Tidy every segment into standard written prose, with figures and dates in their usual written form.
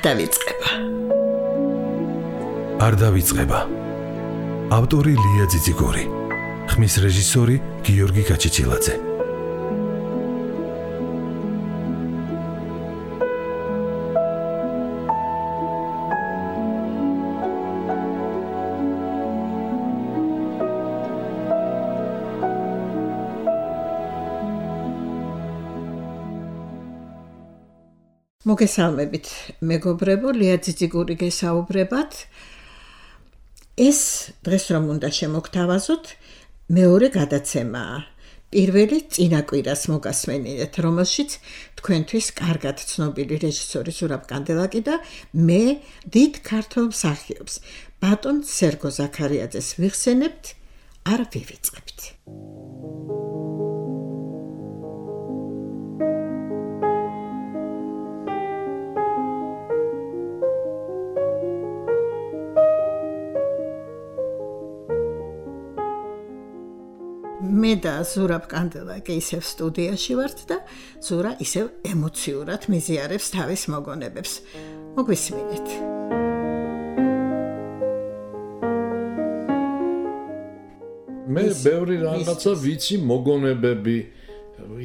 დავიწყება. არ დავიწყება. ავტორი ლია ძიძიგური. ხმის რეჟისორი გიორგი გაჩიჩილაძე. მოგესალმებით, მეგობრებო, ლია ძიძიგური გესაუბრებათ. ეს დღეს რომ უნდა შემოგთავაზოთ, მეორე გადაცემაა. პირველი წინა კვირას მოგასმენიეთ, რომელშიც თქვენთვის კარგად ცნობილი რეჟისორი ზურაბ კანდელაკი და მე დიდ ქართველ მსახიობს ბატონ სერგო ზაქარიაძეს ვიხსენებთ, არ ვივიწყებთ. მე და ზურაბ კანდელაკი ისევ სტუდიაში ვართ და ზურა ისევ ემოციურად მიზიარებს თავის მოგონებებს. მოგვისმინეთ. მე ბევრი რაღაცა ვიცი მოგონებები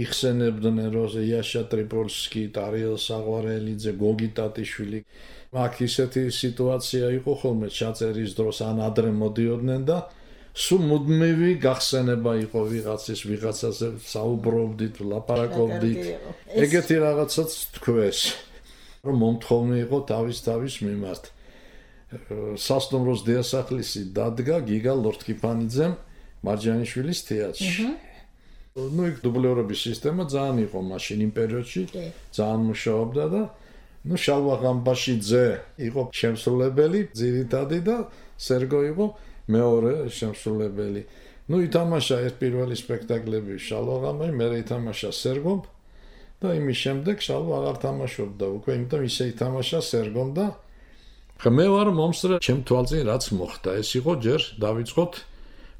იხსენებდნენ როზე იაშა ტრიპოლსკი, ტარიელ საღვარელიძე, გოგი ტატიშვილი. აქ ისეთი სიტუაცია იყო ხოლმე ჩაწერის დროს ან ადრე მოდიოდნენ და სულ მუდმივი გახსენება იყო ვიღაცაზე საუბრობდით, ლაპარაკობდით. ეგეთი რაღაცაც თქვეს, რომ მომთხოვნი იყო თავის მიმართ. სასტუმროს დიასახლისი დადგა გიგა ლორთქიფანიძემ მარჯანიშვილის თეატრში. იქ დუბლერობის სისტემა ძალიან იყო მაშინ იმ პერიოდში, ძალიან მუშაობდა და შალვა ღამბაშიძე იყო შემსრულებელი ძირითადი და სერგო იყო მეორე შემსრულებელი. ითამაშა ერთ პირველი სპექტაკლები შალვა ღამბაში, მერე ითამაშა სერგომ და იმის შემდეგ შალვა აღარ თამაშობდა უკვე, იმიტომ ისე ითამაშა სერგომ და მე ვარ მომსწრე ჩემ თვალწინ რაც მოხდა. ეს იყო ჯერ დავიწყოთ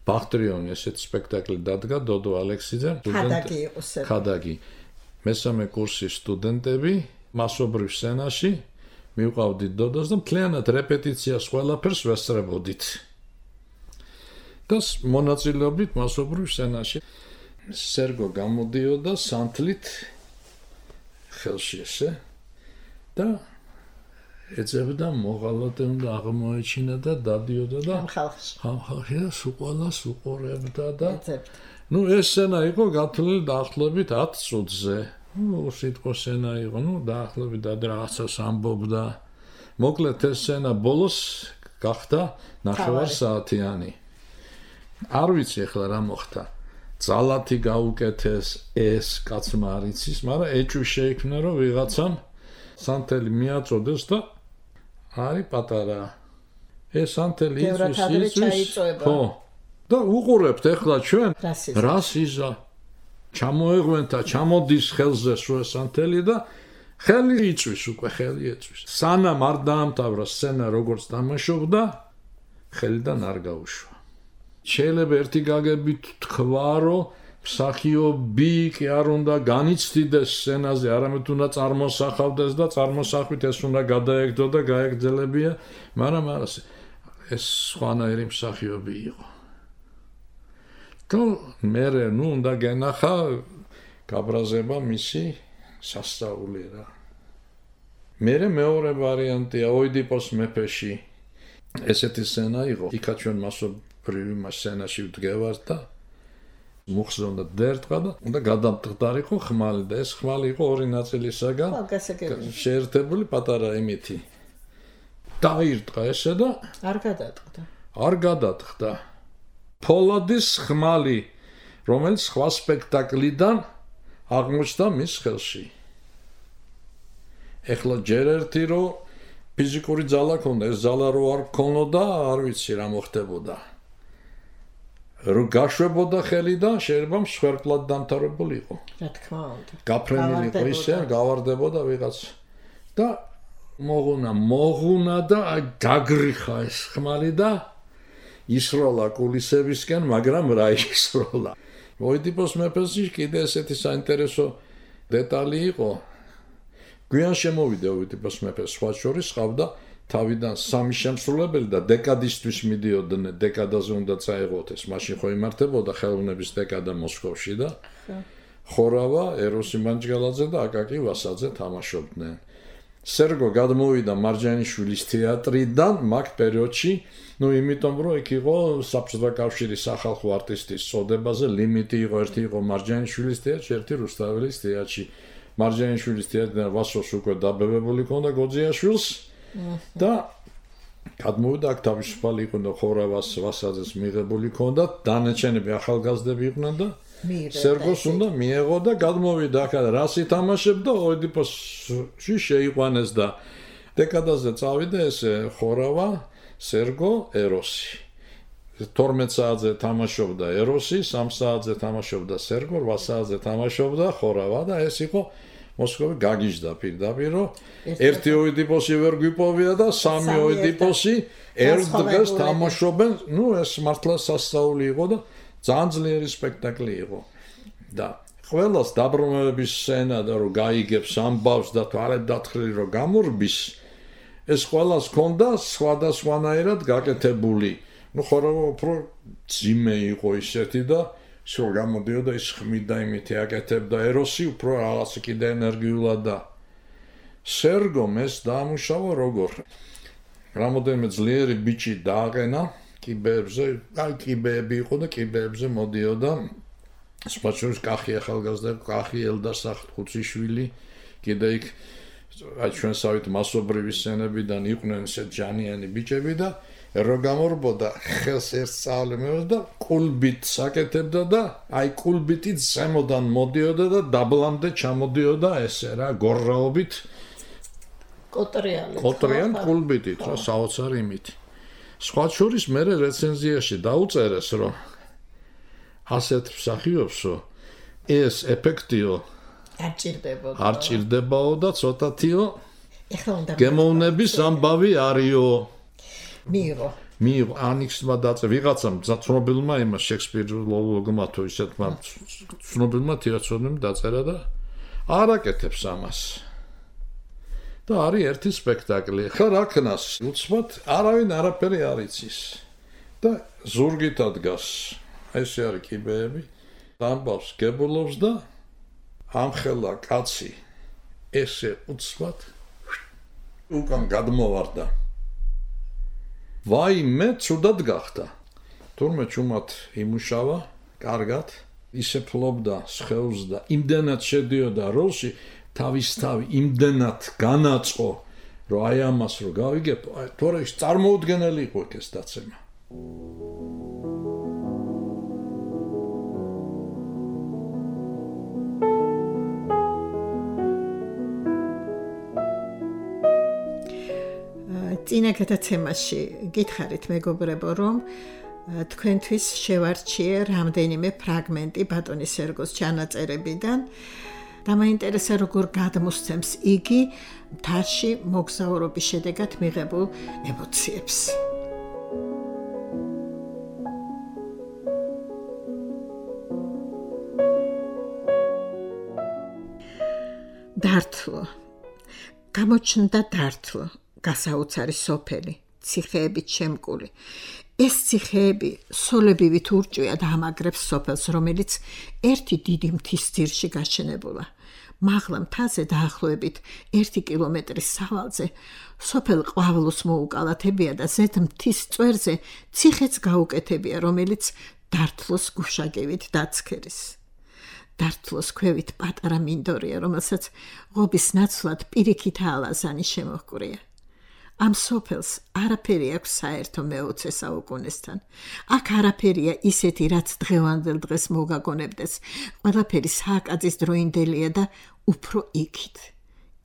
ბახტრიონი, ესეთი სპექტაკლი დადგა დოდო ალექსიძემ, ხადაგი იყო სერგო. ხადაგი. მესამე კურსის სტუდენტები მასობრივ სცენაში მივყავდით დოდოს და მთლიანად რეპეტიციას ყველაფერს ვესწრებოდით. და მონაწილეობით მასობრივ სცენაში სერგო გამოდიოდა სანთლით ხელში ესე და ეძებდა მოღალატე უნდა აღმოეჩინა და დადიოდა და ხალხი და სუყოლას უყურებდა და ეს სცენა იყო გათვლილი დაახლოებით 10 წუთზე. სიტყვა სცენა იყო, დაახლოებით და რაღაცას ამბობდა. მოკლედ ეს სცენა ბოლოს გახდა 9 საათიანი. არ ვიცი ახლა რა მოხდა. ძალათი გაუკეთეს ეს კაცმა არ იცის, მაგრამ ეჭვი შეიქმნა რომ ვიღაცამ სანთელი მიაწოდეს და არის პატარა. ეს სანთელი იცის. ხო. და უყურებთ ახლა ჩვენ რას იზა ჩამოეღვენთა, ჩამოდის ხელზე სულ სანთელი და ხელი იწვის უკვე, ხელი ეწვის. სანამ არ დაამთავრა სცენა როგორც თამაშობდა, ხელიდან არ გაუშვა. შეიძლება ერთი გაგებით თქვა, რომ მსახიობი კი არ უნდა განიცდიდეს სცენაზე, არამედ უნდა წარმოსახავდეს და წარმოსახვით ეს უნდა გადაეგდო და გაეგრძელებია, მაგრამ ეს სხვანაირი მსახიობი იყო. და მერე უნდა გენახა გაბრაზება მისი სასწაული რა. მერე მეორე ვარიანტია ოიდიპოს მეფეში ესეთი სცენა იყო. იქა ჩვენ მასობრივ სცენაში ვდგევართ და მუხზე უნდა დერტყა და უნდა გადამტყდარიყო ხმალი და ეს ხმალი იყო ორი ნაწილისაგან შეერთებული პატარა იმითი. დაირტყა ესე და არ გადატყდა. ფოლადის ხმალი, რომელიც სხვა სპექტაკლიდან აღმოჩნდა მის ხელში. ეხლა ჯერ ერთი რომ ფიზიკური ძალა ქონდა, ეს ძალა რო არ ქონოდა, არ ვიცი რა მოხდებოდა. რო გაშვებოდა ხელი და შეიძლება მსხვერპლად დამთავრებული იყო. რა თქმა უნდა. გაფრენილი იყო ისე, გავარდებოდა ვიღაც. და მოღუნა და გაგრიხა ეს ხმალი და ისროლა კულისებისკენ, მაგრამ რა ისროლა. ოიდიპოს მეფეში კიდე ესეთი საინტერესო დეტალი იყო. გვიან შემოვიდა ოვიდიპოს მეფე სხვა შორის ყავდა თავიდან 3 შემსრულებელი და დეკადისტვის მიდიოდნენ დეკადაზე უნდა წაეღოთ ეს მაშინ ხო იმართებოდა ხელოვნების დეკადა მოსკოვში და ხორავა ეროსი მანჯგალაძე და აკაკი ვასაძე თამაშობდნენ სერგო გადმოვიდა მარჯანიშვილის თეატრიდან მაგ პერიოდში იმიტომ რომ იქ იყო საბჭოთა კავშირის სახალხო არტისტის წოდებაზე ლიმიტი იყო ერთი იყო მარჯანიშვილის თეატრში ერთი რუსთაველის თეატრში მარჯანიშვილის თეატრიდან ვასოს უკვე დაბებებული ჰქონდა გოძიაშვილს და გადმოვიდა აქ თავისუფალი იყო და ხორავას ვასაძეს მიღებული ჰქონდა დანარჩენები ახალგაზრდები იყვნენ და სერგოს უნდა მიეღო და გადმოვიდა აქ რას ითამაშებდა ოვიდიპოსში შეიყვანეს და დეკადაზე წავიდა ეს ხორავა სერგო ეროსი 12 საათზე თამაშობდა ეროსი 3 საათზე თამაშობდა სერგო 8 საათზე თამაშობდა ხორავა და ეს იყო მოსკოვი გაგიჟდა პირდაპირ რომ ერთი ოვიდიპოსი ვერ გვიპოვია და 3 ოვიდიპოსი ერთ დღეს თამაშობენ ეს მართლა სასწაული იყო და ძალიან ძლიერი სპექტაკლი იყო და ყველას დაბრუნების სცენა და რომ გაიგებს ამბავს და თვალეთ დათხრილი რომ გამორბის ეს ყველას ჰქონდა სხვადასხვანაირად გაკეთებული ხორავა უფრო ძიმე იყო ისეთი და სულ გამოდიოდა ის ხმიდა იმითი აკეთებდა ეროსი უფრო რაღაც კიდე ენერგიულად და სერგომ ეს დაამუშავა როგორ რამოდენიმე ძლიერი ბიჭი დააყენა კიბეებზე კიბეები იყო და კიბეებზე მოდიოდა სპეციალურად კახი ახალგაზრდა კახი ელდასახ ხუციშვილი კიდე იქ ჩვენსავით მასობრივი სცენებიდან იყვნენ ესე ჯანიანი ბიჭები და რო გამორბოდა ხელს ერთ სწავლებს და კულბით საკეთებდა და აი კულბიტით ზემოდან მოდიოდა და დაბლამდე ჩამოდიოდა ესე რა გორრაობით კოტრიან კულბიტით რა საოცარი იმით სხვა შორის მე რეცენზიაში დაუწერეს რომ ასეთ მსახიობსო ეს ეფექტიო არ ჭირდებაო და ცოტათიო გემოვნების ამბავი არისო მიიღო ანიქსმა დაწერა ვიღაცამ ცნობილმა იმას შექსპიროლოგმა თუ ისეთმა ცნობილმა თეატრონებმა დაწერა და არ აკეთებს ამას და არის ერთი სპექტაკლი ხა რა ქნას უცბად არავინ არაფერი არ იცის და ზურგით ადგას ესე არის კიბეები ამბავს გებულობს და ამხელა კაცი ესე უცბად უკან გადმოვარდა ვაიმე ცუდად გახდა თურმე ჩუმად იმუშავა კარგად ისე ფლობდა სხეულს და იმდენად შედიოდა როლში თავისთავი იმდენად განაწყო რომ აი ამას რო გავიგებ თორე წარმოუდგენელი იყო ეს დაცემა წინა გადაცემაში გითხარით მეგობრებო რომ თქვენთვის შევარჩიე რამდენიმე ფრაგმენტი ბატონი სერგოს ჩანაწერებიდან და მაინტერესა როგორ გადმოსცემს იგი მთაში მოგზაურობის შედეგად მიღებულ ემოციებს დართლო გამოჩნდა დართლო გასაოცარი სოფელი, ციხეებით შემკული. ეს ციხეები სოლებივით ურჭვია და ამაგრებს სოფელს, რომელიც ერთი დიდი მთის ძირში გაშენებულა. მაღლა მთაზე დაახლოებით 1 კილომეტრის სავალზე სოფელ ყვავილოს მოუკალათებია და ზედ მთის წვერზე ციხეც გაუკეთებია, რომელიც დართლოს გუშაგებით დაცქერის. დართლოს ქვევით პატარა მინდორია, რომელსაც ღობის ნაცვლად პირიქით ალაზანი შემოჰკვრია. ამ სოფელს არაფერი აქვს საერთო მე-20 საუკუნესთან. აქ არაფერია ისეთი, რაც დღევანდელ დღეს მოგაგონებდეს. ყველაფერი სააკაძის დროინდელია და უფრო იქით.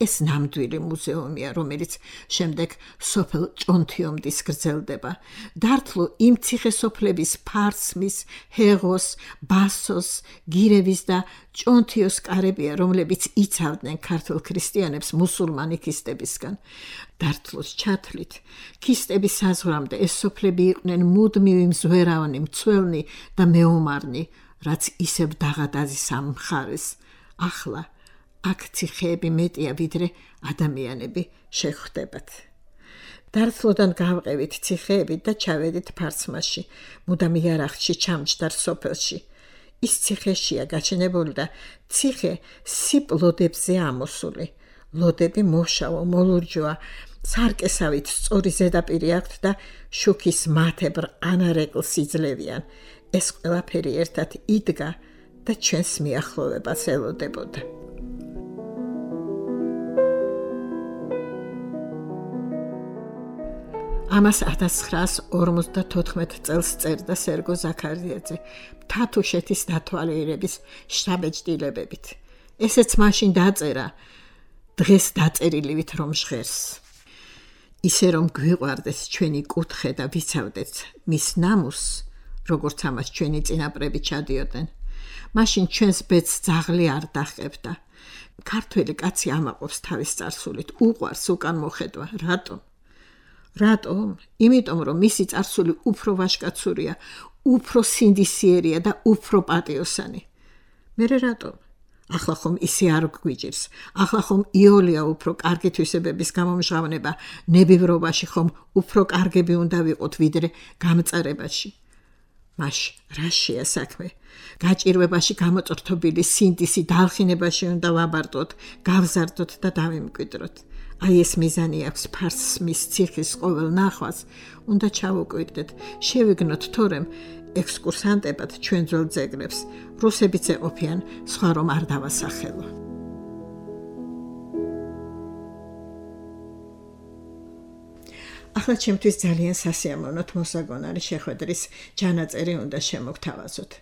ეს ნამდვილი მუზეუმია, რომელიც შემდეგ სოფელ ჭონთიომდის გრძელდება. დართლო იმ ციხესოფლების ფარსმის, ჰეღოს, ბასოს, გირევის და ჭონთიოს კარებია, რომლებიც იცავდნენ ქართულ ქრისტიანებს მუსულმანი ქისტებისგან. დართლოს ჩათვლით, ქისტების საზღვრამდე ეს სოფლები იყვნენ მუდმივი მზვერავნი, მცველნი და მეომარნი, რაც ისევ დაღადაზის ამ მხარეს. ახლა აქ ციხეები მეტია ვიდრე ადამიანები შეხვდებათ. დარწმუნდან გავყევით ციხეებით და ჩავედით ფარცმაში, მუდამ იარაღში ჩამჯდარ სოფელში. ის ციხეშია გაჩენებული და ციხე სიპ ლოდებზე ამოსული. ლოდები მოშავო, მოლურჯოა, სარკესავით სწორი ზედაპირი აქვთ და შუქის მათებრ ანარეკლს იძლევიან. ეს ყველაფერი ერთად იდგა და ჩვენს მიახლოვებას ელოდებოდა. ამას 1954 წელს წერდა სერგო ზაქარიაძე თათუშეთის დათვალიერების შტაბ-ეჭდილებებით. ესეც მაშინ დაწერა, დღეს დაწერილივით რომ ჟღერს. ისე რომ გვიყვარდეს ჩვენი კუთხე და ვიცავდეთ მის ნამუსს, როგორც ამას ჩვენი წინაპრები ჩადიოდნენ. მაშინ ჩვენს ბედს ძაღლი არ დაჰყებდა. ქართველი კაცი ამაყობს თავის წარსულით, უყვარს უკან მოხედვა. რატომ? რატომ? იმიტომ რომ მისი წარსული უფრო ვაჟკაცურია, უფრო სინდისიერია და უფრო პატიოსანი. მერე რატომ? ახლა ხომ ისე არ გვიჭირს. ახლა ხომ იოლია უფრო კარგი თვისებების გამომჟღავნება, ნებივრობაში ხომ უფრო კარგები უნდა ვიყოთ ვიდრე გამწარებაში. მაშ რაშია საქმე? გაჭირვებაში გამოწრთობილი სინდისი დალხინებაში უნდა ვაბარდოთ, გავზარდოთ და დავიმკვიდროთ. აი ეს მიზანი აქვს ფარსმის ციხის ყოველ ნახვას, უნდა ჩავუკვირდეთ, შევიგნოთ თორემ ექსკურსანტებად ჩვენ ძველ ძეგლებს, რუსებიც ეყოფიან, სხვა რომ არ დავასახელო. ახლა ჩემთვის ძალიან სასიამოვნო მოსაგონარი შეხვედრის ჯანაწერი უნდა შემოგთავაზოთ.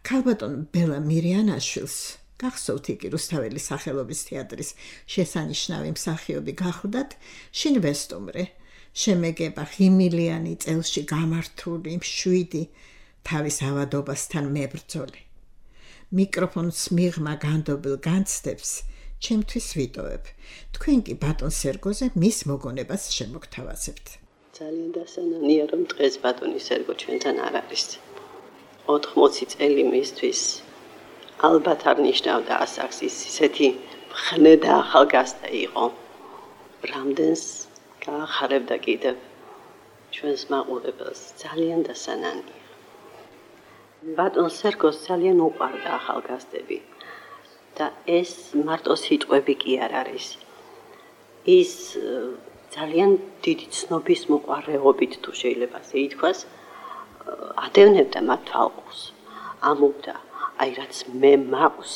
ქალბატონ ბელა მირიანაშვილს გახსოვთ იგი რუსთაველის სახელობის თეატრის შესანიშნავი მსახიობი გახდათ, შინ ვესტუმრე, შემეგება ღიმილიანი წელში გამართული, მშვიდი, თავის ავადობასთან მებრძოლი. მიკროფონს მიღმა განდობილ განცდებს ჩემთვის ვიტოვებ. თქვენ კი ბატონ სერგოზე მის მოგონებას შემოგთავაზებთ. ძალიან დასანანია რომ დღეს ბატონი სერგო ჩვენთან არ არის. 80 წელი მისთვის ალბათ არ ნიშნავდა ასაკს ის ისეთი მხნე და ახალგაზრდა იყო. რამდენს გაახარებდა კიდევ ჩვენს მაყურებელს, ძალიან დასანანია. ბატონ სერგოს ძალიან უყვარდა ახალგაზრდები და ეს მარტო სიტყვები კი არ არის. ის ძალიან დიდი ცნობის მოყვარეობით თუ შეიძლება ასე ითქვას, ადევნებდა მათ თვალყურს. ამობდა, აი რაც მე მაქვს,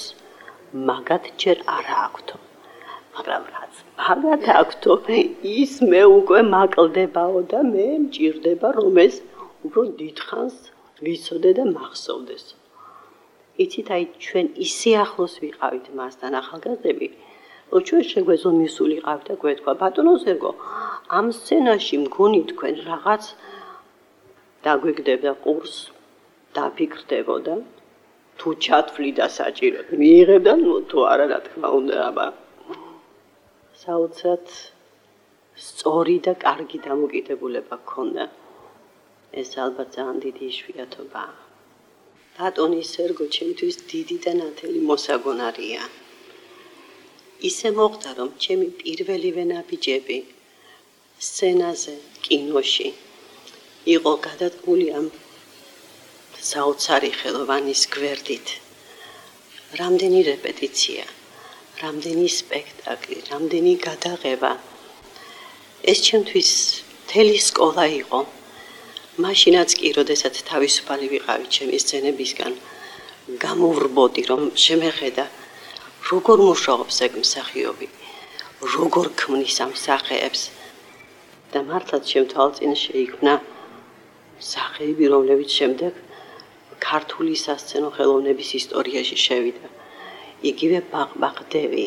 მაგათ ჯერ არა აქვთო. მაგრამ რაც მაგათ აქვთო, ის მე უკვე მაკლდებაო და მე მჭირდება რომ ეს უფრო დიდხანს ვიცოდე და მახსოვდეს. იცით, აი ჩვენ ისე ახლოს ვიყავით მასთან ახალგაზრდები, რომ ჩვენ შეგვეზომისულიყავით და გვეთქვა, ბატონო სერგო, ამ სცენაში მგონი თქვენ რაღაც დაგვიგდებდა ყურს, დაფიქრდებოდა, თუ ჩათვლიდა საჭიროდ, მიიღებდა, თუ არა, რა თქმა უნდა, აბა. საოცრად სწორი და კარგი დამოკიდებულება ჰქონდა. ეს ალბათ ძალიან დიდი იშვიათობაა. ბატონი სერგო ჩემთვის დიდი და ნათელი მოსაგონარია. ისე მოხდა, რომ ჩემი პირველივე ნაბიჯები სცენაზე, კინოში იყო გადადგმული ამ საოცარი ხელოვანის გვერდით. რამდენი რეპეტიცია, რამდენი სპექტაკლი, რამდენი გადაღება. ეს ჩემთვის მთელი სკოლა იყო. მაშინაც კი, როდესაც თავისუფალი ვიყავი ჩემი სცენებისგან, გამოვრბოდი, რომ შემეხედა, როგორ მუშაობს ეგ მსახიობი, როგორ ქმნის ამ სახეებს. და მართლაც შემთვალწინ შეიქმნა სახეები, რომლებიც შემდეგ ქართული სასცენო ხელოვნების ისტორიაში შევიდა. იგივე ბაყბაყდევი,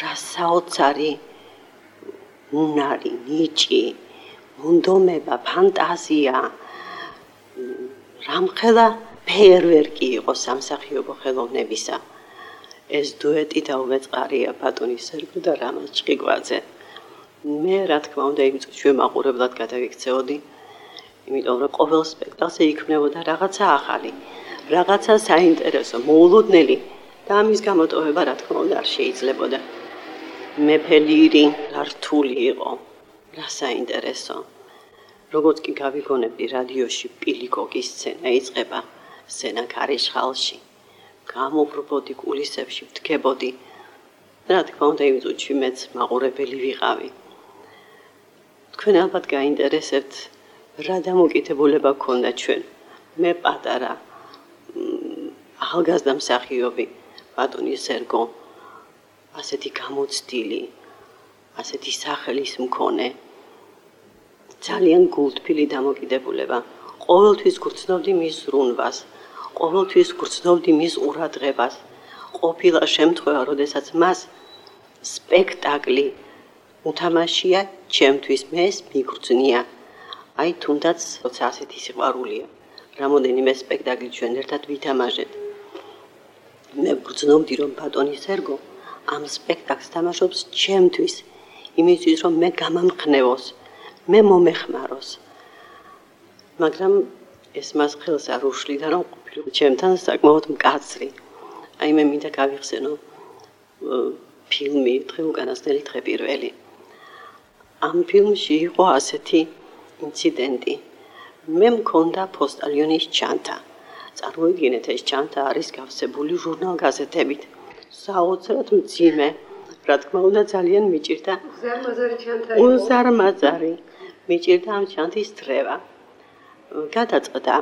რა საოცარი უნარი, ნიჭი, მონდომება, ფანტაზია, რამხელა ფეერვერკი იყო სამსახიობო ხელოვნებისა. ეს დუეტი დაუვეწყარია ბატონი სერგო და რამაზ ჭყიკვაძე. მე რა თქმა უნდა იმ წუთში ვემაყურებლად გადავიქცეოდი, იმიტომ რომ ყოველ სპექტაკლზე იქმნებოდა რაღაცა ახალი, რაღაცა საინტერესო, მოულოდნელი და ამის გამოტოვება რა თქმა უნდა არ შეიძლებოდა. მეფელირი რა რთული იყო, რა საინტერესო. როგორც კი გავიგონებდი რადიოში პილიკოკის სცენა იწყება, სცენა ქარიშხალში. გამობრბოდი კულისებში, ვდგებოდი. რა თქმა უნდა იმ წუთში მეც მაყურებელი ვიყავი. თქვენ ალბათ გაინტერესებთ რა დამოკიდებულება გქონდა ჩვენ. მე პატარა ახალგაზრდა მსახიობი ბატონი სერგო ასეთი გამოცდილი, ასეთი სახელის მქონე, ძალიან გულთბილი დამოკიდებულება. ყოველთვის გრძნობდი მის ზრუნვას, ყოველთვის გრძნობდი მის ყურადღებას. ყოფილა შემთხვევა, როდესაც მას სპექტაკლი უთამაშია, ჩემთვის მეს მიგრძნია. აი თუნდაც როცა ასეთი სიყვარულია. რამოდენიმე სპექტაკლი ჩვენ ერთად ვითამაშეთ. მე გრძნობდი, რომ ბატონი სერგო ამ სპექტაკლს თამაშობს ჩემთვის, იმისთვის რომ მე გამამხნევოს, მე მომეხმაროს. მაგრამ ეს მას ხელს არ უშლიდა, რომ ყოფილიყო ჩემთან საკმაოდ მკაცრი. აი მე მინდა გავიხსენო ფილმი დღე უკანასკნელი დღე პირველი. ამ ფილმში იყო ასეთი ინციდენტი. მე მქონდა პოსტალიონის ჩანთა. წარმოიდგინეთ, ეს ჩანთა არის გავსებული ჟურნალ-გაზეთებით. საოცრად მძიმე, რა თქმა უნდა ძალიან მიჭირდა. ზარმაზარი ჩანთა. უზარმაზარი. მიჭირდა ამ ჩანთის დრევა. გადაწყდა,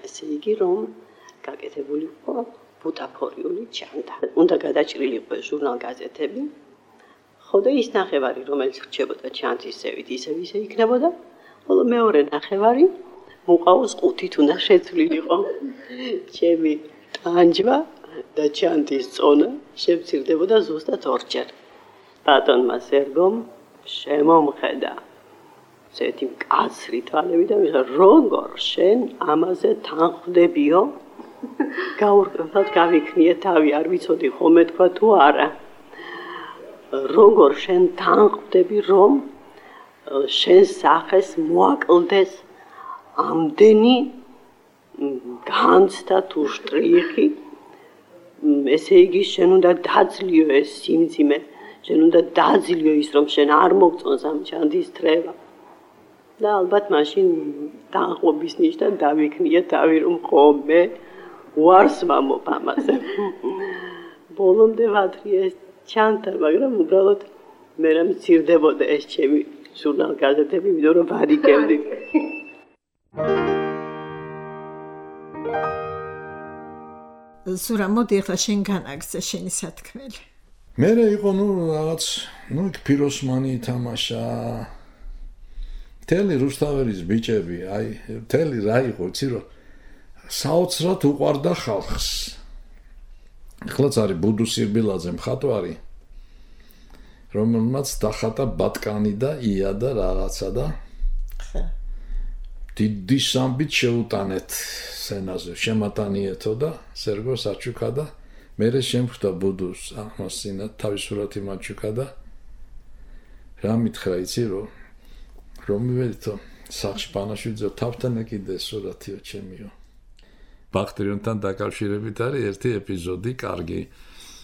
ესე იგი, რომ გაკეთებული იყო ბუტაფორიული ჩანთა. უნდა გადაჭრილიყო ჟურნალ-გაზეთები. ხო და ის ნახევარი, რომელიც რჩებოდა ჩანთის ზევით, ისევ იქნებოდა. ხოლო მეორე ნახევარი მუყაოს ყუთით უნდა შეცვლილიყო. ჩემი ტანჯვა და ჩანთის წონა შემცირდებოდა ზუსტად ორჯერ. ბატონმა სერგომ შემომხედა ესეთი მკაცრი თვალები და მიხა როგორ შენ ამაზე თანხმდებიო? გაურკვევლად გავიქნიე თავი, არ ვიცოდი ხომე თქვა თუ არა. როგორ შენ თანხმდები, რომ შენ სახეს მოაკლდეს ამდენი განცდა თუ შტრიხი, ესე იგი შენ უნდა დაძლიო ეს სიმძიმე, შენ უნდა დაძლიო ის, რომ შენ არ მოგწონს ამ ჩანთის დრევა. და ალბათ მაშინ თანხმობის ნიშნად დავიქნიე თავი, რომ ხომე უარს ვამობ ამაზე. ბოლომდე ვათრიე ეს ჩანთა, მაგრამ უბრალოდ მე რა მცირდებოდა ეს ჩემი ჟურნალ-გაზეთები, იმიტომ რომ ვარიგებდი. ზურა, მოდი ახლა შენ განაგრძე შენი სათქმელი. მე იყო რაღაც, იქ ფიროსმანი ითამაშა. მთელი რუსთაველის ბიჭები, აი, მთელი რა იყო, იცი რომ საოცრად უყვარდა ხალხს. ახლაც არის ბუდუ სირბილაძე მხატვარი, რომელმაც დახატა ბატკანი და ია და რაღაცა და დიდი სამბით შეუტანეთ სცენაზე, შემატანიეთო და სერგო საჩუკა და მერე შემხვდა ბუდუს აღმასინა თავის სურათი მაჩუკა და რა მითხრა, იცი რომ მივედითო სახლში პანაშვიძე თავთან ეკიდე სურათიო ჩემიო. ბახტრიონთან დაკავშირებით არის ერთი ეპიზოდი კარგი.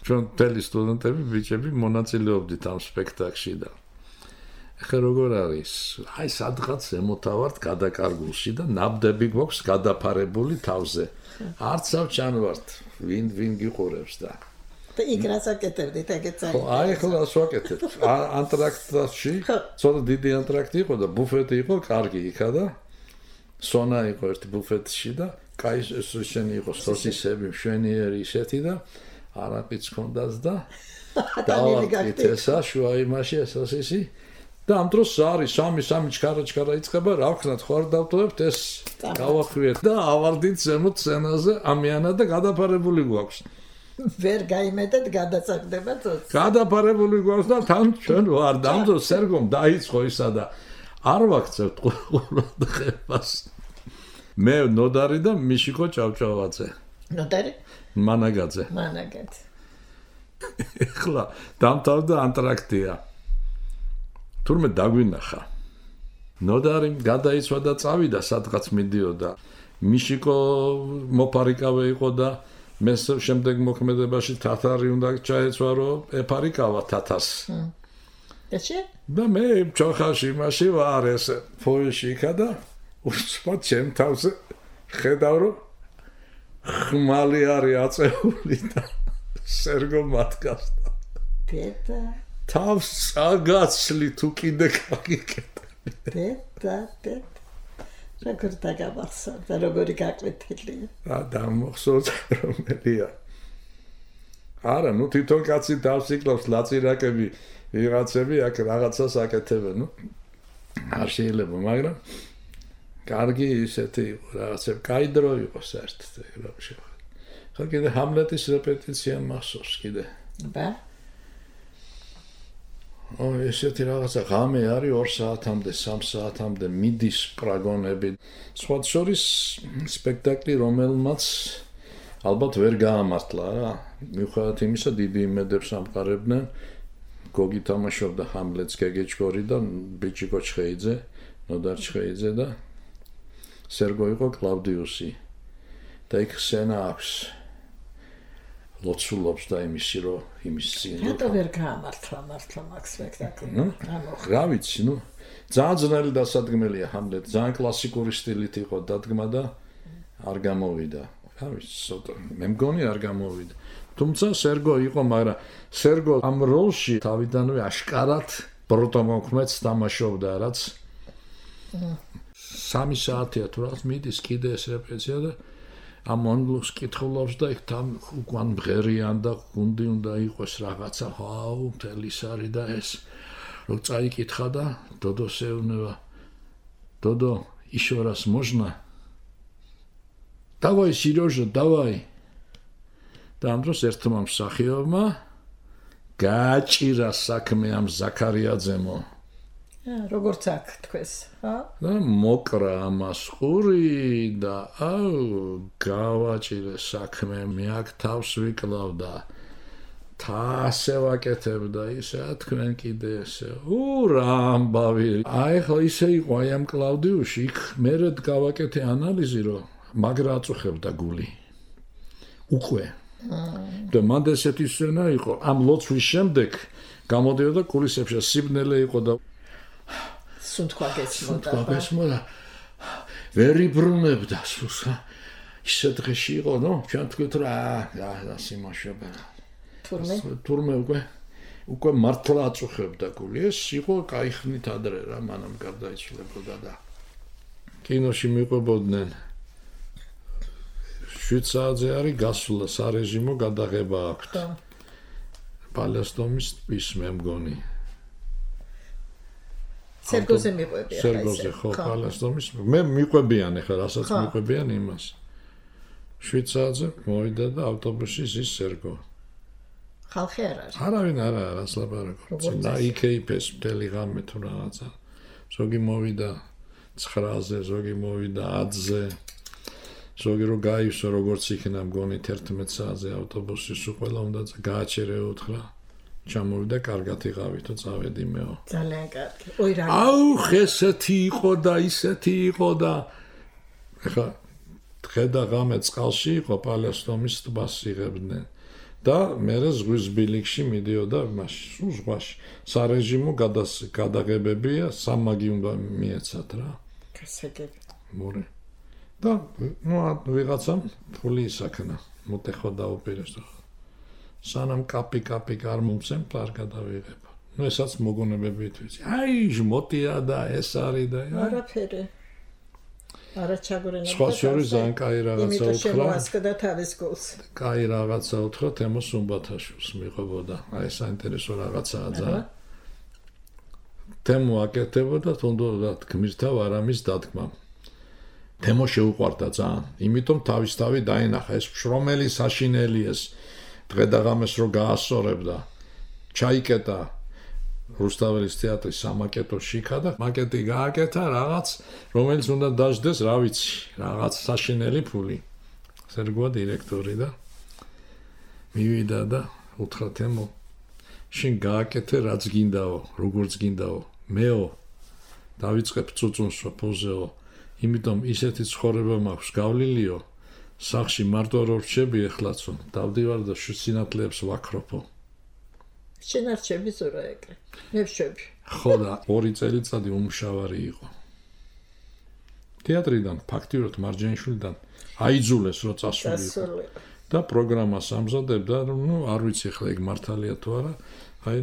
ჩვენ მთელი სტუდენტები, ბიჭები მონაწილეობდით ამ სპექტაკლში და ეხლა როგორ არის? აი სადღაც ემოთავართ გადაკარგულში და ნაბდები გვაქვს გადაფარებული თავზე. არც ავჭანვართ, ვინ გიყურებს და იქ რას აკეთებდით, ეგეც არის. ხო, აი ახლა რას ვაკეთებ? ანტრაქტში, ცოტა დიდი ანტრაქტი იყო და ბუფეტი იყო კარგი იქა და სონა იყო ერთი ბუფეტში და კაი შენი იყო სოსისები, მშვენიერი ისეთი და არაფიც ჰქონდას და დავაკეთეთ ესა შუა იმაში სოსისი და ამ დროს არის სამი ჩქარა იწყება, რა ვქნათ, ხო არ დავტოვებთ ეს გავახვიეთ და ავარდით ზემოთ სცენაზე ამიანა და გადაფარებული გვაქვს. ვერ გაიმედეთ გადასაგდება წოც. გადაფარებული გვაქვს და თან ჩვენ ვარ და ამ დროს სერგომ დაიწყო ისა და არ ვაქცევთ ყურადღებას. მე ნოდარი და მიშიკო ჭავჭავაძე. ნოდარი? მანაგაძე. ეხლა დამთავრდა ანტრაქტია. თურმე დაგვინახა. ნოდარი გადაიცვა და წავიდა სადღაც მიდიოდა. მიშიკო მოფარიკავე იყო და შემდეგ მოქმედებაში თათარი უნდა ჩაეცვა რომ ეფარიკავა თათარს და მე ჩოხაში მაშინ ვარ ეს ფოიში იქა და უსმოთ ჩემ თავზე ხედავ რომ ხმალი არის აწეული და სერგო მათგავს დედა თავს წაგაცლი თუ კიდე გაგიკეტ დედა როგორ დაგამახსოვ და როგორი გაკვეთილია რა დამახსოვს რომელია არა ნუ თვითონ კაცი თავს იკლავს ლაწირაკები ვიღაცები აქ რაღაცას აკეთებენ ნუ არ შეიძლება მაგრამ კარგი ისეთი რაღაცები კაი დრო იყო საერთოდ რა შეიძლება ხა კიდე ჰამლეტის რეპეტიცია მახსოვს კიდე ბა ესეთი რაღაცა ღამე არის 2 საათამდე 3 საათამდე მიდის პრაგონები სხვა შორის სპექტაკლი რომელმაც ალბათ ვერ გაამართლა რა მიუხედავად იმისა დიდი იმედებს ამყარებდნენ გოგი თამაშობდა ჰამლეტს გეგეჭკორი და ბიჭი კოჩხეიძე ნოდარ ჩხეიძე და სერგო იყო კლავდიუსი და იქ სცენა აქვს ლოცულობს და იმისი რომ იმის წინ რატო ვერ გაამართლა მართლა მაგ სპექტაკლი რა ვიცი ნუ ძალიან ძნელი დასადგმელია ჰამლეტი ძალიან კლასიკური სტილით იყო დადგმა და არ გამოვიდა რა ვიცი ცოტა მე მგონი არ გამოვიდა თუმცა სერგო იყო მაგრამ სერგო ამ როლში თავიდანვე აშკარად პროტომოქმედს თამაშობდა რაც 3 საათია თუ რაღაც მიდის კიდე ეს რეპეტიცია და ამ მონოლოგს კითხულობს და იქ თან უკან მღერიან და გუნდი უნდა იყოს რაღაცა ჰაუ მთელი სარი და ეს რო წაიკითხა და დოდოს ეუბნება დოდო еще раз можно давай Сережа давай და ამ დროს ერთმა მსახიობმა გააჭირა საქმე ამ ზაქარიაძემო როგორც აქ თქვეს, ხა? და მოკრა ამას ყური და აუ გავაჭირე საქმე მე აქ თავს ვიკლავ და თასე ვაკეთებდა ისე თქვენ კიდე ესე რა ამბავი აი ხო ისე იყო აი ამ კლავდიუში იქ მერედ გავაკეთე ანალიზი რომ მაგრა აწუხებდა გული უკვე და მანდ ესეთი სცენა იყო ამ ლოცვის შემდეგ გამოდიოდა კულისებში სიბნელე იყო და სუნთქვა გესმოდა ვერ იბრუნებდა სულსა ისე დღეში იყო ნო ჩვენ თქვით რა სიმაშობა თურმე უკვე მართლა აწუხებდა გული ეს იყო კაი ხნით ადრე რა მანამ გარდაიცვლებოდა და კინოში მიყვებოდნენ 7 საათზე არის გასვლა სარეჟიმო გადაღება აქვს პალესტომის ტბის მე მგონი სერგოზე მიყვებიან სერგოზე ხო პალესტომის მე მიყვებიან ახლა რასაც მიყვებიან იმას 7 საათზე მოვიდა და ავტობუსში ზის სერგო ხალხი არ არის არავინ არ არის ლაპარაკობს და იქეიფეს მთელი ღამე თუ რაღაცა ზოგი მოვიდა 9-ზე ზოგი მოვიდა 10-ზე ზოგი რო გაივსო როგორც იქნა მგონი 11 საათზე ავტობუსი სულ ყველა უნდა გააჩერე უთხრა ჩამოვიდა კარგად იყავით და წავედი მეო ძალიან კარგი ой რა აუ ესეთი იყო და ისეთი იყო და ეხა დღე და ღამე წყალში იყო პალესტომის ტბას იღებდნენ და მე ზღვის ბილიქში მიდიოდა მაშინ ზღვაში სარეჟიმო გადაღებებია სამაგი უნდა მიეცათ რა გასაგები მორე და ნუ ვიღაცამ ფული ისაქნა მოტეხო დაუპირეს სანამ კაპი არ მომცემ პარ გადავიღებ ნუ ესაც მოგონებებით ვიცი აი ჟმოტია და ეს არის და არაფერი არა ჩაგორენა სხვა შორის ძალიან კაი რაღაცა უთხრა შემოასკდა თავის გულს კაი რაღაცა უთხრა თემო სუმბათაშვილს მიყვებოდა აი საინტერესო რაღაცაა ძალიან თემო აკეთებოდა თუნდაც გმირთა ვარამის დადგმა თემო შეუყვარდა ძალიან იმიტომ თავისთავი დაინახა ეს შრომელი საშინელი ეს დღე და ღამეს რო გაასწორებდა ჩაიკეტა რუსთაველის თეატრის სამაკეტო შიქა და მაკეტი გააკეთა რაღაც რომელიც უნდა დაждდეს რა ვიცი რაღაც საშინელი ფული სერგოა დირექტორი და მივიდა და უთხრა თემო შენ გააკეთე რაც გინდაო როგორც გინდაო მეო დავიწყებ წუწუნს პოზეო იმიტომ ისეთი ცხოვრება მაქვს გავლილიო სახში მარტო რო რჩები ეხლაცო დავდივარ და სინათლეებს ვაქროფო შენარჩები ზურა ეგრე მე ვშვები ხო და 2 წელიწადი უმშავარი იყო თეატრიდან ფაქტიურად მარჯანიშვილიდან აიძულეს რო წასულიყო და პროგრამას ამზადებდა არ ვიცი ხლა ეგ მართალია თუ არა აი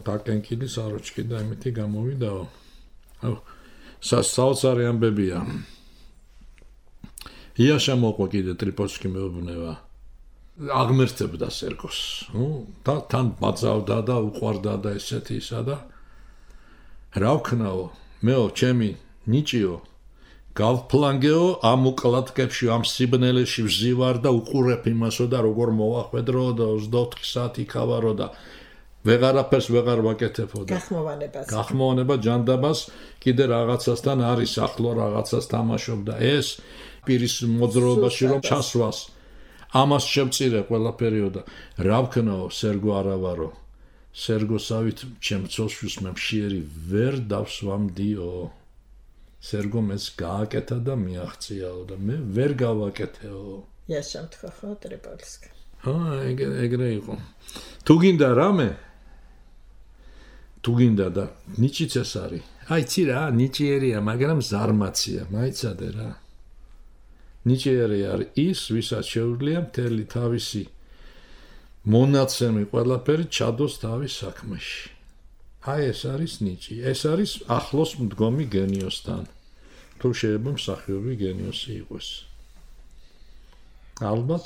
დაკენკილი საროჩკი და იმითი გამოვიდაო საოცარი ამბებია იაშა მოყვა კიდე ტრიპოცკი მეუბნება აღმერთებდა სერგოს და თან ბაძავდა და უყვარდა და ესეთი ისა და რა ვქნაო მეო ჩემი ნიჭიო გავფლანგეო ამ უკალათკებში ამ სიბნელეში ვზივარ და უყურებ იმასო და როგორ მოვახვედრო და 24 საათი ქავარო და ვეღარაფერს ვეღარ ვაკეთებო და გახმოვანება ჯანდაბას კიდე რაღაცასთან არის ახლო რაღაცას თამაშობ და ეს პირის მოძრაობაში რომ ჩასვას ამას შევწირე ყველაფერიო და რა ვქნაო სერგო არავარო სერგოსავით ჩემ ცოლშვის მე მშიერი ვერ დავსვამდიო სერგო მეც გააკეთა და მიაღწიაო და მე ვერ გავაკეთეო იაშამ თქვა ხო ტრიპოლსკი ეგრე იყო თუ გინდა რამე თუ გინდა და ნიჭიც ეს არის აიცი რა ნიჭიერია მაგრამ ზარმაცია მაიცადე რა ნიჭიერი არის ის ვისაც შეუძლია მთელი თავისი მონაცემი ყველაფერი ჩადოს თავის საქმეში აი ეს არის ნიჭი ეს არის ახლოს მდგომი გენიოსთან თუ შეიძლება მსახიობი გენიოსი იყოს ალბათ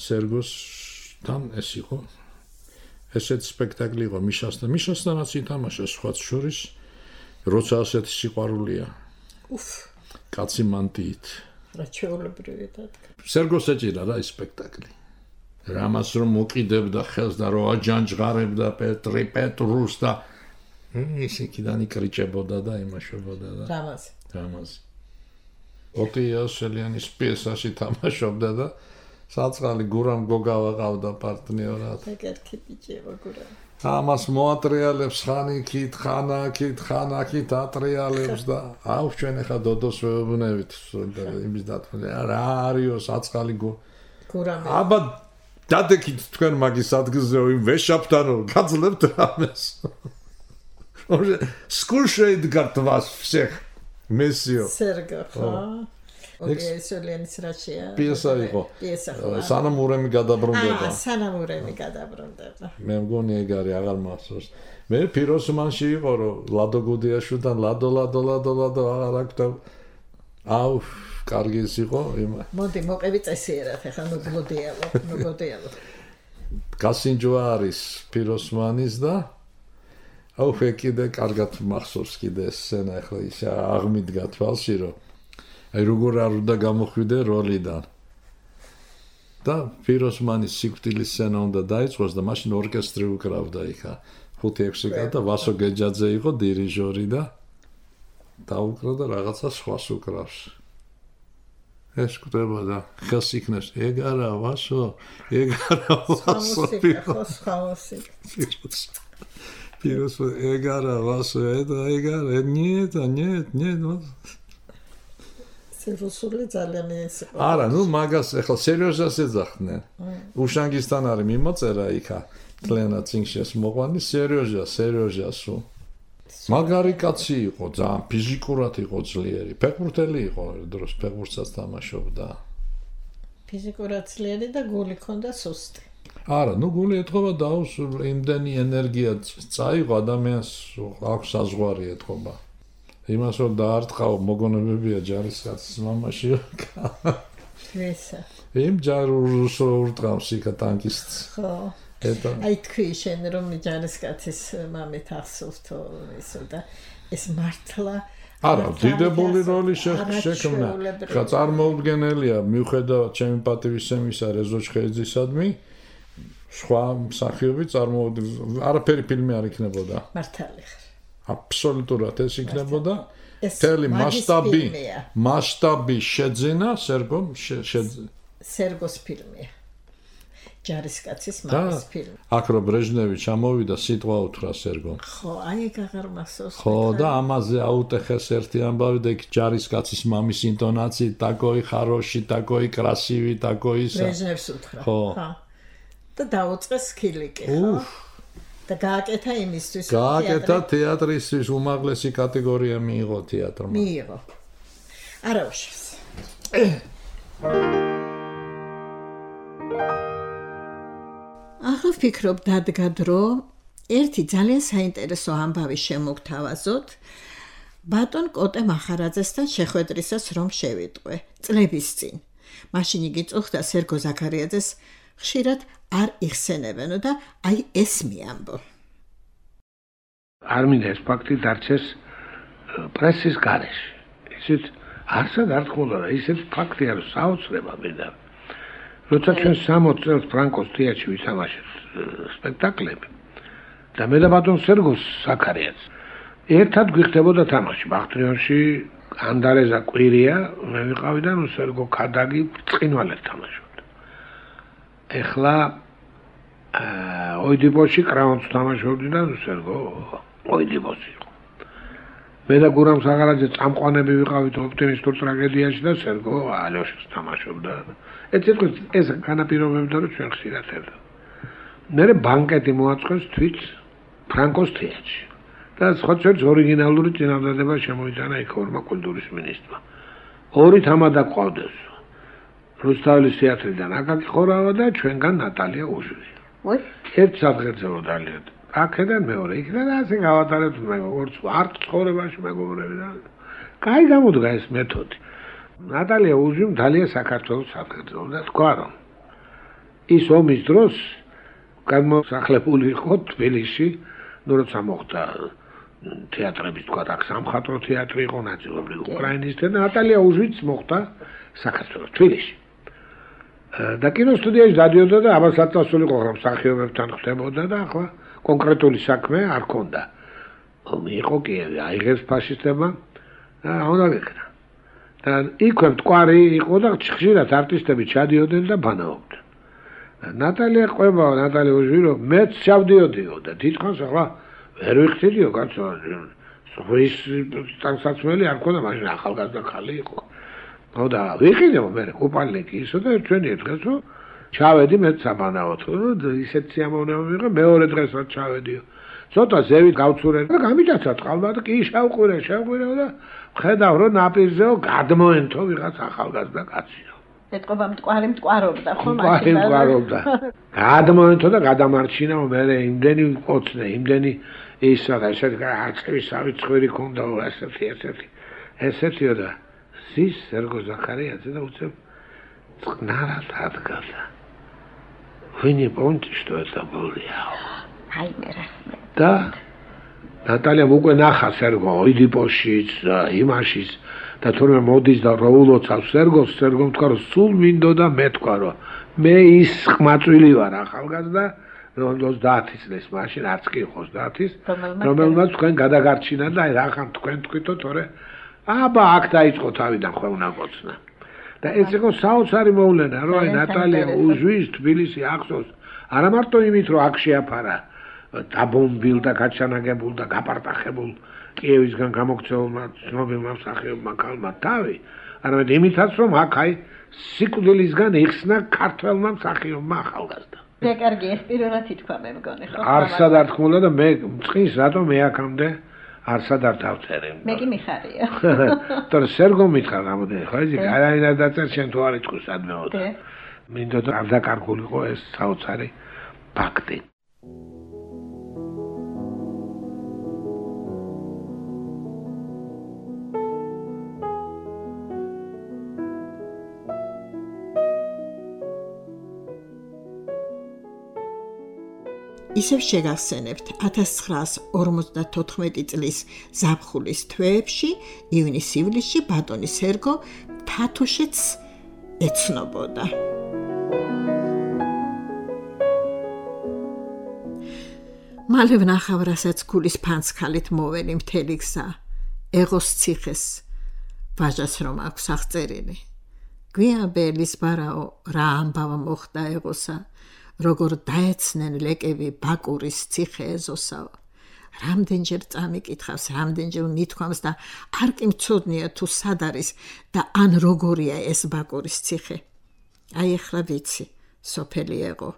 სერგოსთან ეს იყო ესეთ სპექტაკლი იყო მიშასთანაც ითამაშა სხვაც შორის როცა ასეთი სიყვარულია კაცი მანტიით რა ჩეულებრივი დადგა სერგოს ეჭირა რა ეს სპექტაკლი რამას რომ მოკიდებდა ხელს და რო აჯანჯღარებდა პეტრუს და ისე კიდან იკრიჭებოდა და იმაშობოდა და რამაზი ოტიაშელიანის პიესაში თამაშობდა და საწყალი გურამ გოგავა ყავდა პარტნიორად ეგეთი ბიჭია გურამ ამას მოატრიალებს ხანაკით ატრიალებს და აუ ჩვენ ახლა დოდოს ვეუბნებით იმის დათმობა რა არისო საწყალი გურამ აბა დადეკით თქვენ მაგის ადგილზე იმ ვეშაპთანო გაძლევთ რამეს სკულში იდგართ вас всех месио სერგო ხო ოდიესოლიანის რაშია პიესა იყო პიესა ხო სანამ ურემი გადაბრუნდება სანამ ურემი გადაბრუნდება მე მგონი ეგ არის აღარ მახსოვს მე პიროსმანში იყო რომ ლადო გუდიაშვილთან ლადო აღარ აქვს და აუ კარგი ის იყო იმა მოდი მოყევი წესიერად ახლა ნუგოდიალო გასინჯვა არის პიროსმანის და აუ კიდე კარგად მახსოვს კიდე ეს სცენა ახლა ისე აღმიდგა თვალში რომ აი როგორ არ უნდა გამოხვიდე როლიდან და პიროსმანის სიკვდილის სცენა უნდა დაიწყოს და მაშინ ორკესტრი უკრავდა იქა 5-6 კაცი და ვასო გეჯაძე იყო დირიჟორი და დაუკრა და რაღაცა სხვას უკრავს ეს კვდებოდა ხელს იქნებს ეგ არა ვასო პიროს ეგ არა ვასო ეგ არა нет სერუსული ძალიან ის არა ნუ მაგას ახლა სერიოზას ეძახდნენ უშანგისთან არის მიმოწერა იქა თლენა წინშეს მოყვანი სერიოზასო მაგარი კაცი იყო ძალიან ფიზიკურად იყო ძლიერი ფეხბურთელი იყო დროს ფეხბურთსაც თამაშობდა ფიზიკურად ძლიერი და გული ჰქონდა სუსტი არა ნუ გული ეთქობა და იმდენი ენერგია წაიღო ადამიანს აქვს საზღვარი ეთქობა იმას რომ დაარტყაო მოგონებებია ჯარისკაცის მამაში ესა იმ ჯარს ურტყავს იქა ტანკისტს ხო აი თქვი შენ რომ ჯარისკაცის მამით ახსოვთო ისო და ეს მართლა არა დიდებული როლი შექმნა ხა წარმოუდგენელია მიუხედავად ჩემი პატივისცემისა რეზო ჩხეიძისადმი სხვა მსახიობი არაფერი ფილმი არ იქნებოდა მართალი ხარ აბსოლუტურად ეს იქნებოდა თელი მასშტაბი შეძენა სერგოს ფილმია ჯარისკაცის მამის ფილმი. აქ რო ბრეჟნევი ჩამოვიდა, სიტყვა უთხრა სერგომ. ხო, აი ეგ აღარ მახსოვს. ხო, და ამაზე აუტეხეს ერთი ამბავი და იქ ჯარისკაცის მამის ინტონაციით, такой хороший, такой красивый, такой ისა. ბრეჟნევს უთხრა. ხო. და დაუწყეს ხილიკი, ხო? და გააკეთა იმისთვის, გააკეთა თეატრისთვის უმაღლესი კატეგორია მიიღო თეატრმა. მიიღო. არა უშავს. ახლა ვფიქრობ დადგა დრო ერთი ძალიან საინტერესო ამბავი შემოგთავაზოთ ბატონ კოტე მახარაძესთან შეხვედრისას რომ შევიტყვე წლების წინ. მაშინ იგი წუხდა სერგო ზაქარიაძეს ხშირად არ იხსენებენო და აი ეს მიამბო. არ მინდა ეს ფაქტი დარჩეს პრესის გარეშე. ისეთ არსად არ თხოვდა და ისეთ ფაქტი არ საოცრება მინდა. როცა ჩვენ 60 წელს ფრანკოს თეატრში ვისამაშეთ სპექტაკლები და მე და ბატონ სერგო ზაქარიაძე ერთად გვიხდებოდა თამაში ბახტრიონში ანდარეზა კვირია მე ვიყავი და სერგო ქადაგი ბრწყინვალედ თამაშობდა. ეხლა ოიდიპოში კრაუნს თამაშობდი და სერგო ოიდიპოში იყო. მე და გურამ საღარაძე წამყვანები ვიყავით ოპტიმისტურ ტრაგედიაში და სერგო ალოშს თამაშობდა. ეს განაპირობებდა რომ ჩვენ ხშირად ერთა. მე ბანკეტი მოაწყეს თვით ფრანკოს თეატრში. და სხვა ჩვენს ორიგინალური წინადადება შემოიტანა იქ ორმა კულტურის მინისტრმა. ორი თამადა ყავდეს. რუსთაველის თეატრიდან აკაკი ხორავა და ჩვენგან ნატალია უჟვი. ერთ საფრთხეზე მოდალიეთ. აქედან მეორე იქიდან ასე გავატარებთ მე როგორც არც ცხოვრებაში მეგობრები და კაი გამოდგა ეს მეთოდი. ნატალია უჟვიმ დალია საქართველოს საფრთხეზე და თქვა რომ ის ომის დროს გამოსახლებული იყო თბილისში, ნუ როცა მოხდა თეატრების თქვა აქ სამხატვრო თეატრი იყო ნაწილობრივ უკრაინის და ნატალია უჟვიც მოხდა საქართველოს თბილისში. და კინოსტუდიაში დადიოდა და აბა საწასული იყო რომ მსახიობებთან ხდებოდა და ახლა კონკრეტული საქმე არ ქონდა. ომი იყო კიევი, აიღეს ფაშისტებმა და უნდა ვიქნა. და იქვე მტკვარი იყო და ხშირად არტისტები ჩადიოდნენ და ბანაობდნენ. ნატალია ყვება, ნატალია უჟვი რომ მეც ჩავდიოდიო და თითქოს ახლა ვერ ვიხდიდიო კაცო. ის ტანსაცმელი არ ქონდა, მაშინ ახალგაზრდა ხალი იყო. ხო და ვიყიდე მე კუპალნიკი ისო და ჩვენი დღეს რომ ჩავედი მე საბანაოდ ისეთ სიამოვნება მიიღე მეორე დღესაც ჩავედიო ცოტა ზევით გავცურე და გამიჭაცა წყალმა და კი შევყვირე და ხედავ რომ ნაპირზეო გადმოენთო ვიღაც ახალგაზრდა კაციო ეთყობა მტკვარობდა ხო მტკვარობდა გადმოენთო და გადამარჩინა მე იმდენი ყოცნე იმდენი ისა და ესეთი არწივის სავიწყვირი ქონდა ესეთიო და ზის სერგო ზაქარიაძე და უცებ წყნარად ადგადა. Вы не помните, что это был я? და ნატალია უკვე ნახა სერგო ოიდიპოშიც იმაშიც და თორემ მოდის და როულოცავს სერგომ თქვა რომ სულ მინდოდა მე თქვა რომ მე ის ხმაწვილი ვარ ახალგაზრდა რომ 30 წლის მაშინ არც კი 30-ის რომელმაც თქვენ გადაგარჩინა და აი რახან თქვენ თქვითო თორე აბა აქ დაიწყო თავიდან ხელნა გოცნა და ეს იყო საოცარი მოვლენა რომ აი ნატალია უჟვის თბილისი ახსოვს არა მარტო იმით რომ აქ შეაფარა დაბომბილ და გაჩანაგებულ და გაპარტახებულ კიევისგან გამოქცეულმა ცნობილმა მსახიობმა ქალმა თავი არამედ იმითაც რომ აქ აი სიკვდილისგან იხსნა ქართველმა მსახიობმა ახალგაზრდა მე კარგი ეს პირველად ითქვა მე მგონი ხო არსად არ თქმა და მე წყის რატომ მე აქამდე არსად არ დავწერე მე კი მიხარია თორე სერგო მითხრა რამოდენი ხო ეს არაინად დაწერ შენ თუ არ იტყვის ადმეოდა მინდოდა არ დაკარგულიყო ეს საოცარი ფაქტი ისევ შეგახსენებთ 1954 წლის ზაფხულის თვეებში ივნისივლისში ბატონი სერგო თათუშეთს ეცნობოდა. მალე ვნახავ რასაც გულის ფანცხალით მოველი მთელი გზა ეღოს ციხეს ვაჟას რომ აქვს აღწერილი. გვიან ბერლის ბარაო რა ამბავა მოხდა ეღოსა როგორ დაეცნენ ლეკები ბაკურის ციხე ეზოსავ. რამდენჯერ წამიკითხავს, რამდენჯერ მithქვამს და არ კი მცოდნია თუ სად არის და ან როგორია ეს ბაკურის ციხე. აი ახლა ვიცი, სოფელი ეყო.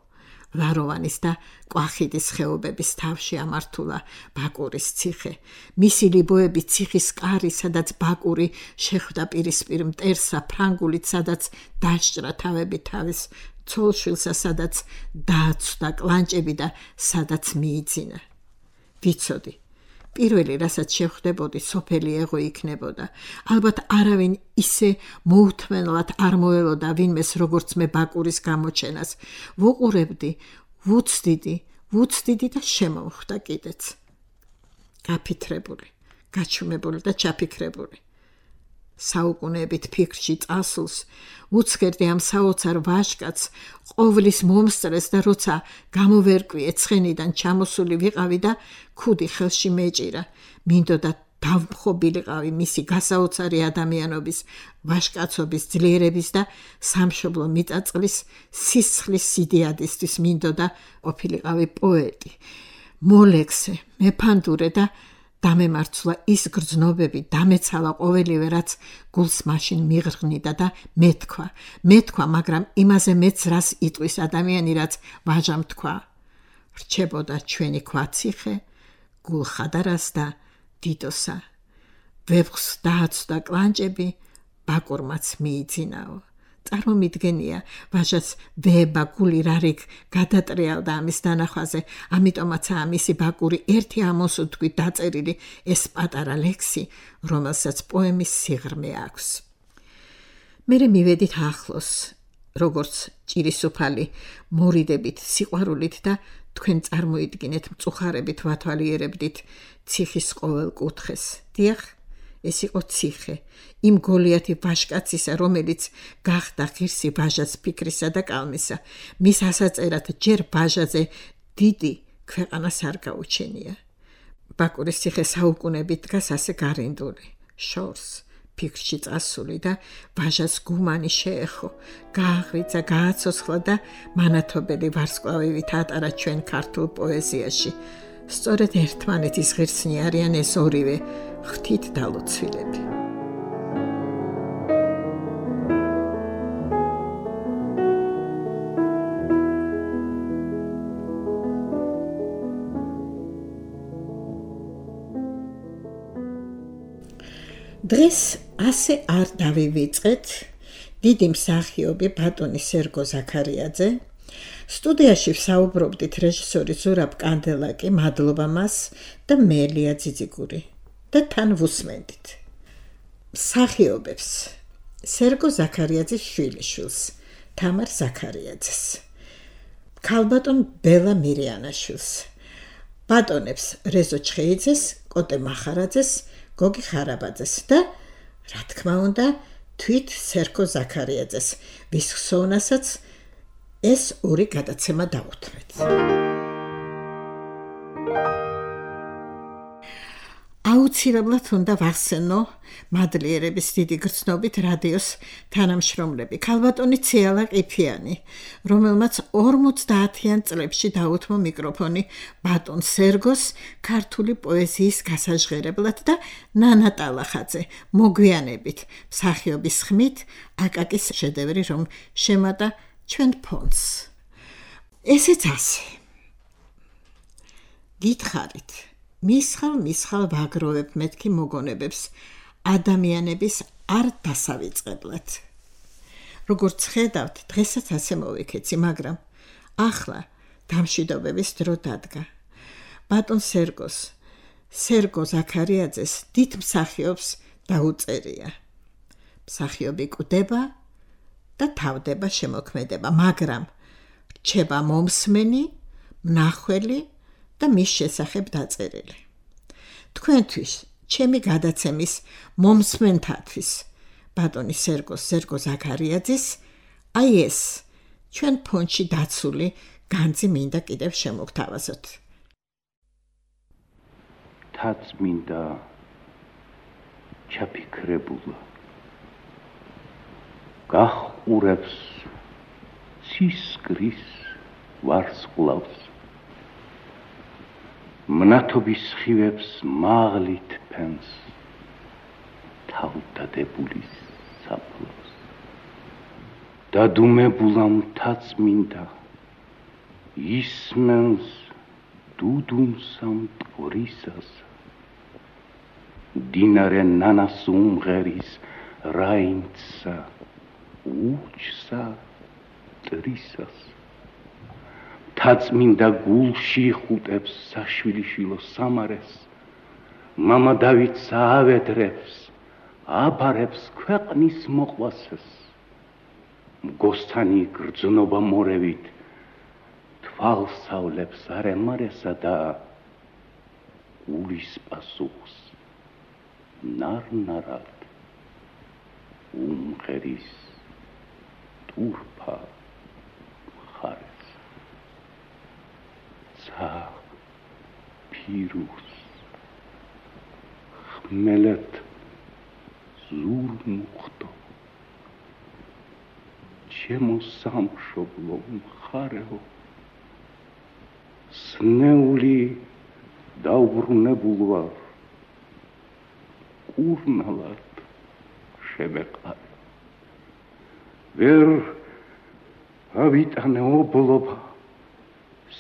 ვაროვანის და კვახიდის ხეობების თავში ამართულა ბაკურის ციხე. მისი ლიბოები ციხის კარი, სადაც ბაკური შეხვდა პირისპირ მტერსა ფრანგულით, სადაც დასჭრა თავები თავის ცოლშვილსა, სადაც დააცვდა კლანჭები და სადაც მიიძინა. ვიცოდი, პირველი, რასაც შევხვდებოდი, სოფელი ეღო იქნებოდა. ალბათ არავინ ისე მოუთმენლად არ მოელოდა ვინმეს, როგორც მე ბაკურის გამოჩენას. ვუყურებდი, ვუცდიდი და შემოვხვდა კიდეც. გაფიქრებული, გაჩუმებული და ჩაფიქრებული. საუკუნეებით ფიქრში წასულს, უცქერდი ამ საოცარ ვაჟკაცს, ყოვლის მომსწრეს და როცა გამოვერკვიე ცხენიდან ჩამოსული ვიყავი და ქუდი ხელში მეჭირა, მინდოდა დავმხობილიყავი მისი გასაოცარი ადამიანობის, ვაჟკაცობის ძლიერების და სამშობლო მიწაწლის სისხლის სიდიადისთვის, მინდოდა ყოფილიყავი პოეტი, მოლექსე, მეფანდურე და დამემარცვლა ის გრძნობები, დამეცალა ყოველივე, რაც გულს მაშინ მიღრღნიდა და მეთქვა, მაგრამ იმაზე მეც რას იტყვის ადამიანი, რაც ვაჟამ თქვა. რჩებოდა ჩვენი ქვაციხე, გულხადარას და დიდოსა. ვეფხს დააცვდა კლანჭები, ბაკურმაც მიიძინაო. წარმომიდგენია, ვაჟაც ვება გული რარიგ გადატრიალდა ამის დანახვაზე, ამიტომაცაა მისი ბაკური ერთი ამოსუთქვით დაწერილი ეს პატარა ლექსი, რომელსაც პოემის სიღრმე აქვს. მერე მივედით ახლოს, როგორც ჭირისუფალი, მორიდებით, სიყვარულით და თქვენ წარმოიდგინეთ მწუხარებით ვათვალიერებდით ციხის ყოველ კუთხეს. დიახ, ეს იყო ციხე, იმ გოლიათი ვაჟკაცისა, რომელიც გახდა ღირსი ვაჟას ფიქრისა და კალმისა. მის ასაწერად ჯერ ვაჟაზე დიდი ქვეყანას არ გაუჩენია. ბაკურის ციხე საუკუნებით დგას ასე გარინდული, შორს, ფიქრში წასული და ვაჟას გუმანი შეეხო, გააღვიძა, გააცოცხლა და მანათობელი ვარსკვლავივით ატარა ჩვენ ქართულ პოეზიაში. სწორედ ერთმანეთის ღირსნი არიან ეს ორივე ღვთით დალოცვილები. დღეს ასე არ დავივიწყეთ. დიდი მსახიობი ბატონი სერგო ზაქარიაძე, სტუდიაში ვსაუბრობდით რეჟისორი ზურაბ კანდელაკი, მადლობა მას და მე ლია ძიძიგური და თან ვუსმენდით. მსახიობებს სერგო ზაქარიაძის შვილიშვილს, თამარ ზაქარიაძეს, ქალბატონ ბელა მირიანაშვილს, ბატონებს რეზო ჩხეიძეს, კოტე მახარაძეს, გოგი ხარაბაძეს და რა თქმა უნდა თვით სერგო ზაქარიაძეს, ვის ხსოვნასაც ეს ორი გადაცემა დავუთმეთ. აუცილებლად უნდა ვახსენო მადლიერების დიდი გრძნობით რადიოს თანამშრომლები, ქალბატონი ციალა ყიფიანი, რომელმაც 50-იან წლებში დაუთმო მიკროფონი ბატონ სერგოს ქართული პოეზიის გასაჟღერებლად და ნანა ტალახაძე მოგვიანებით მსახიობის ხმით აკაკის შედევრი, რომ შემატა ჩვენ ფონდს. ესეც ასე. გითხარით, მისხალ ვაგროვებ მეთქი მოგონებებს ადამიანების არ დასავიწყებლად. როგორც ხედავთ, დღესაც ასე მოვიქეცი, მაგრამ ახლა დამშვიდობების დრო დადგა. ბატონ სერგო ზაქარიაძეს დიდ მსახიობს დაუწერია. მსახიობი კვდება და თავდება შემოქმედება, მაგრამ რჩება მომსმენი, მნახველი და მის შესახებ დაწერილი. თქვენთვის, ჩემი გადაცემის მომსმენთათვის, ბატონი სერგო ზაქარიაძის, აი ეს ჩვენ ფონდში დაცული განძი მინდა კიდევ შემოგთავაზოთ. თაც მინდა ჩაფიქრებულა გახურებს ცისკრის ვარსკვლავს მნათობის ხივებს მაღლით ფენს თავდადებული საფლავს დადუმებულა მთაწმინდა ისმენს დუდუნსა მტკვრისას დინარე ნანას უმღერის რაინცსა უჩსა ტრისას მთაწმინდა გულში ხუტებს საშვილიშვილო სამარეს მამა დავითს აავედრებს აბარებს ქვეყნის მოყვასეს მგოსთანი გრძნობა მორევით თვალსავლებს არემარესა და გულის პასუხს ნარნარად უმღერის ტურფა მხარეს ცა ფირუს ხმელეთ ზურმუხტო ჩემო სამშობლო მხარეო სნეული დაუბრუნებულ ვარ კურნალად შემეყარე ვერ ავიტანე ობლობა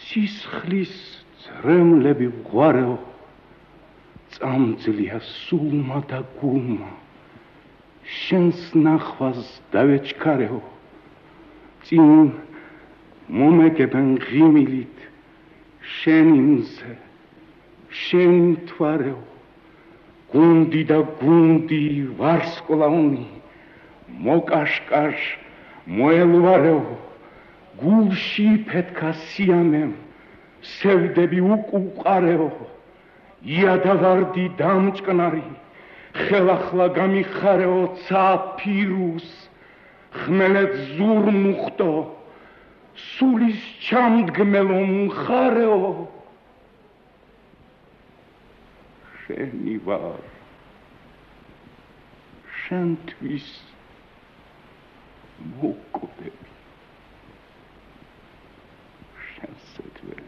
სისხლის ძრემლები ვღვარეო წამძლია სულმა და გულმა შენს ნახვას დავეჩქარეო წინ მომეგებენ ღიმილით შენი მზე შენი თვარეო გუნდი და გუნდი ვარსკვლავნი მოკაშკაშ მოელვარეო გულში ფეთქა სიამემ სევდები უკუყარეო იადავარდი დამჭკნარი ხელახლა გამიხარეო ცა ფირუს ხმელეთ ზურმუხტო სულის ჩამდგმელო მხარეო შენი ვარ შენთვის მოკვდები შენსეთველი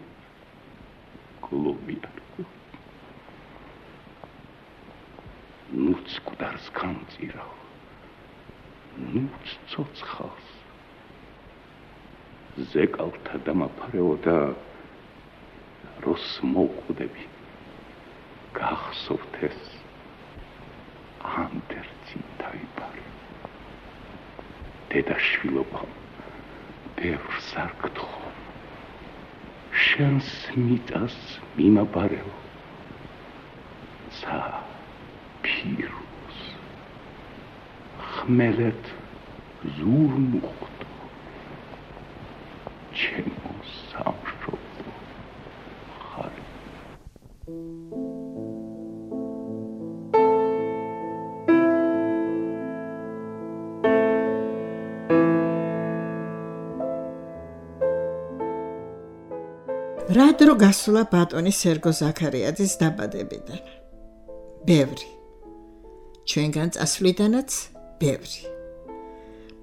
გლობიარკო ნუც კუდარს გამწირავ ნუც ცოცხალს ზეკალთა დამაფარეო და როს მოკვდები გახსოვთ ეს ანდერძი დაიბარე დედაშვილობამ ბევრს არ გთხოვ შენს მიწას მიმაბარეო ცა ფირუს ხმელეთ ზურმუხტო ჩემო სამშობლო მხარე რა დრო გასულა ბატონი სერგო ზაქარიაძის დაბადებიდან? ბევრი. ჩვენგან წასვლიდანაც ბევრი.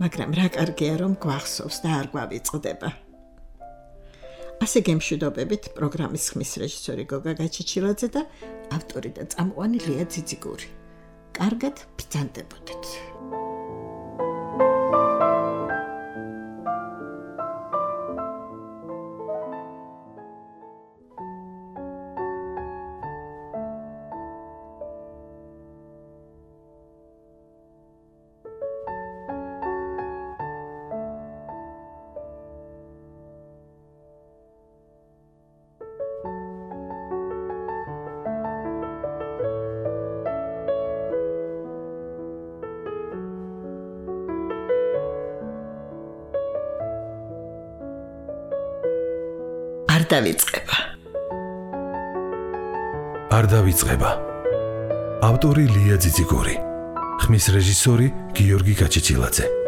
მაგრამ რა კარგია რომ გვახსოვს და არ გვავიწყდება. ასე გემშვიდობებით პროგრამის ხმის რეჟისორი გოგა გაჩიჩილაძე და ავტორი და წამყვანი ლია ძიძიგური. კარგად ბრძანდებოდეთ. არ დავიწყება. ავტორი ლია ძიძიგური. ხმის რეჟისორი გიორგი გაჩიჩილაძე.